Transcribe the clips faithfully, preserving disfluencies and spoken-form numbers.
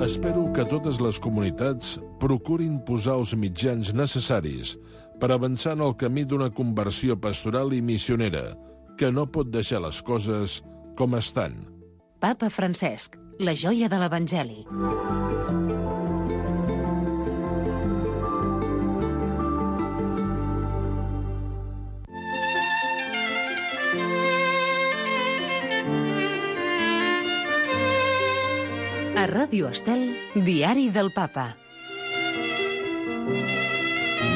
Espero que totes les comunitats procurin posar els mitjans necessaris per avançar en el camí d'una conversió pastoral i missionera, que no pot deixar les coses com estan. Papa Francesc, la joia de l'Evangeli. A Ràdio Estel, Diari del Papa.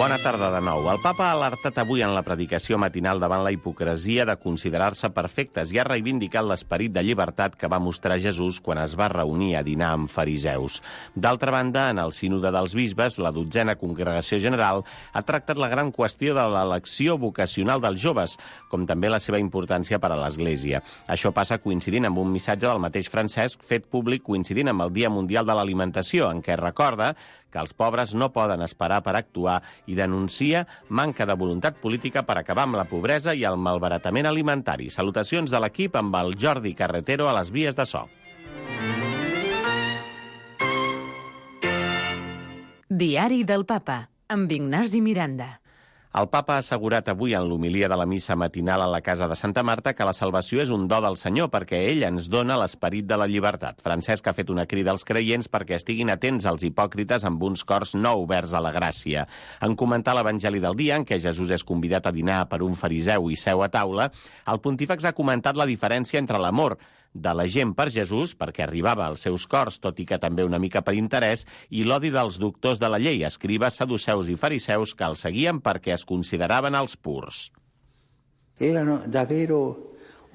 Bona tarda de nou. El papa ha alertat avui en la predicació matinal davant la hipocresia de considerar-se perfectes i ha reivindicat l'esperit de llibertat que va mostrar Jesús quan es va reunir a dinar amb fariseus. D'altra banda, en el sínode dels bisbes, la dotzena congregació general ha tractat la gran qüestió de l'elecció vocacional dels joves, com també la seva importància per a l'Església. Això passa coincidint amb un missatge del mateix Francesc fet públic coincidint amb el Dia Mundial de l'Alimentació, en què recorda que els pobres no poden esperar per actuar i denuncia manca de voluntat política per acabar amb la pobresa i el malbaratament alimentari. Salutacions de l'equip amb el Jordi Carretero a les vies de so. Diari del Papa, amb Ignasi Miranda. El papa ha assegurat avui en l'homilia de la missa matinal a la Casa de Santa Marta que la salvació és un do del Senyor perquè ell ens dona l'esperit de la llibertat. Francesc ha fet una crida als creients perquè estiguin atents als hipòcrites amb uns cors no oberts a la gràcia. En comentar l'Evangeli del dia, en què Jesús és convidat a dinar per un fariseu i seu a taula, el pontífex ha comentat la diferència entre l'amor de la gent per Jesús, perquè arribava als seus cors, tot i que també una mica per interès, i l'odi dels doctors de la llei, escribes, saduceus i fariseus que el seguien perquè es consideraven els purs. Erano davvero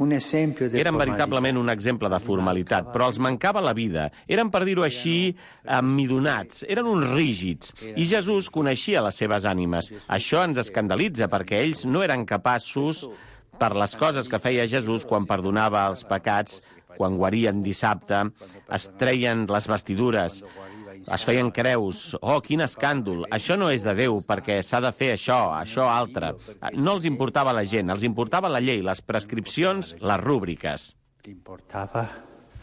un esempio de Eren veritablement un exemple de formalitat, però els mancava la vida. Eren, per dir-ho així, amidonats, eren uns rígids, i Jesús coneixia les seves ànimes. Això ens escandalitza, perquè ells no eren capaços per les coses que feia Jesús quan perdonava els pecats, quan guarien dissabte, es treien les vestidures, es feien creus. Oh, quin escàndol! Això no és de Déu, perquè s'ha de fer això, això altre. No els importava la gent, els importava la llei, les prescripcions, les rúbriques. Importava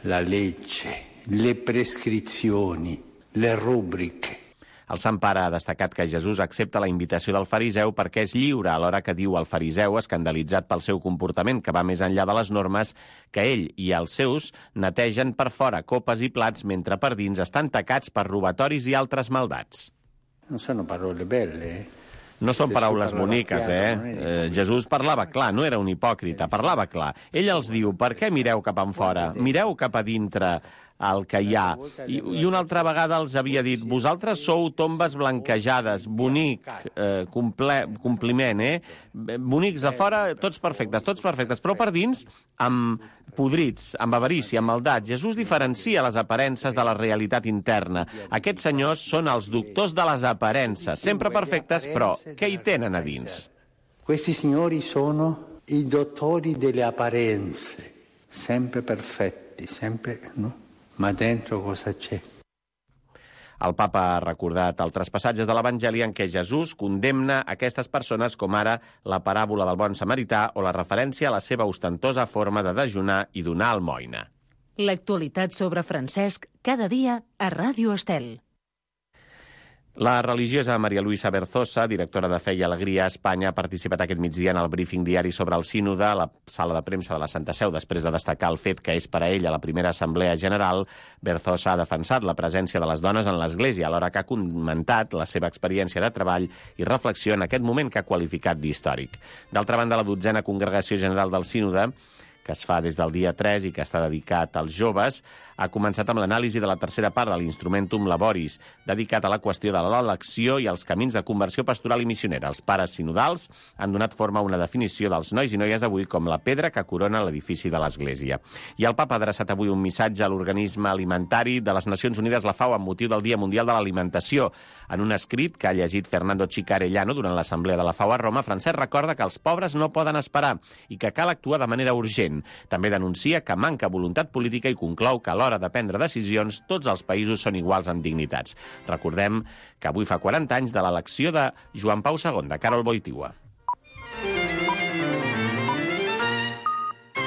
la legge, le prescrizioni, le rubriche. El Sant Pare ha destacat que Jesús accepta la invitació del fariseu perquè és lliure, alhora que diu al fariseu, escandalitzat pel seu comportament que va més enllà de les normes, que ell i els seus netegen per fora copes i plats mentre per dins estan tacats per robatoris i altres maldats. No sono parole belle, eh? No són paraules boniques, eh? eh? Jesús parlava clar, no era un hipòcrita, parlava clar. Ell els diu, per què mireu cap enfora? Mireu cap a dintre el que hi ha. I, i una altra vegada els havia dit, vosaltres sou tombes blanquejades, bonic, eh, comple, compliment, eh? Bonics a fora, tots perfectes, tots perfectes, però per dins, amb podrits, amb avarícia, amb maldat. Jesús diferencia les aparences de la realitat interna. Aquests senyors són els doctors de les aparences, sempre perfectes, però què hi tenen a dins? Questi signori sono i dottori delle apparenze, sempre perfetti, sempre, no? Ma dentro cosa c'è? El papa ha recordat altres passatges de l'Evangeli en què Jesús condemna aquestes persones, com ara la paràbola del bon samarità o la referència a la seva ostentosa forma de dejunar i donar almoina. L'actualitat sobre Francesc, cada dia a Ràdio Estel. La religiosa Maria Luisa Berzosa, directora de Fe i Alegria a Espanya, ha participat aquest migdia en el briefing diari sobre el sínode a la sala de premsa de la Santa Seu, després de destacar el fet que és per a ella la primera assemblea general. Berzosa ha defensat la presència de les dones en l'Església, alhora que ha comentat la seva experiència de treball i reflexió en aquest moment que ha qualificat d'històric. D'altra banda, la dotzena congregació general del sínode, que es fa des del dia tres i que està dedicat als joves, ha començat amb l'anàlisi de la tercera part de l'Instrumentum Laboris, dedicat a la qüestió de l'elecció i els camins de conversió pastoral i missionera. Els pares sinodals han donat forma a una definició dels nois i noies d'avui com la pedra que corona l'edifici de l'Església. I el papa ha adreçat avui un missatge a l'Organisme Alimentari de les Nacions Unides, la FAO, amb motiu del Dia Mundial de l'Alimentació. En un escrit que ha llegit Fernando Chicarellano durant l'assemblea de la FAO a Roma, Francesc recorda que els pobres no poden esperar i que cal actuar de manera urgent. També denuncia que manca voluntat política i conclou que a l'hora de prendre decisions tots els països són iguals en dignitats. Recordem que avui fa quaranta anys de l'elecció de Joan Pau segon, de Karol Wojtyła.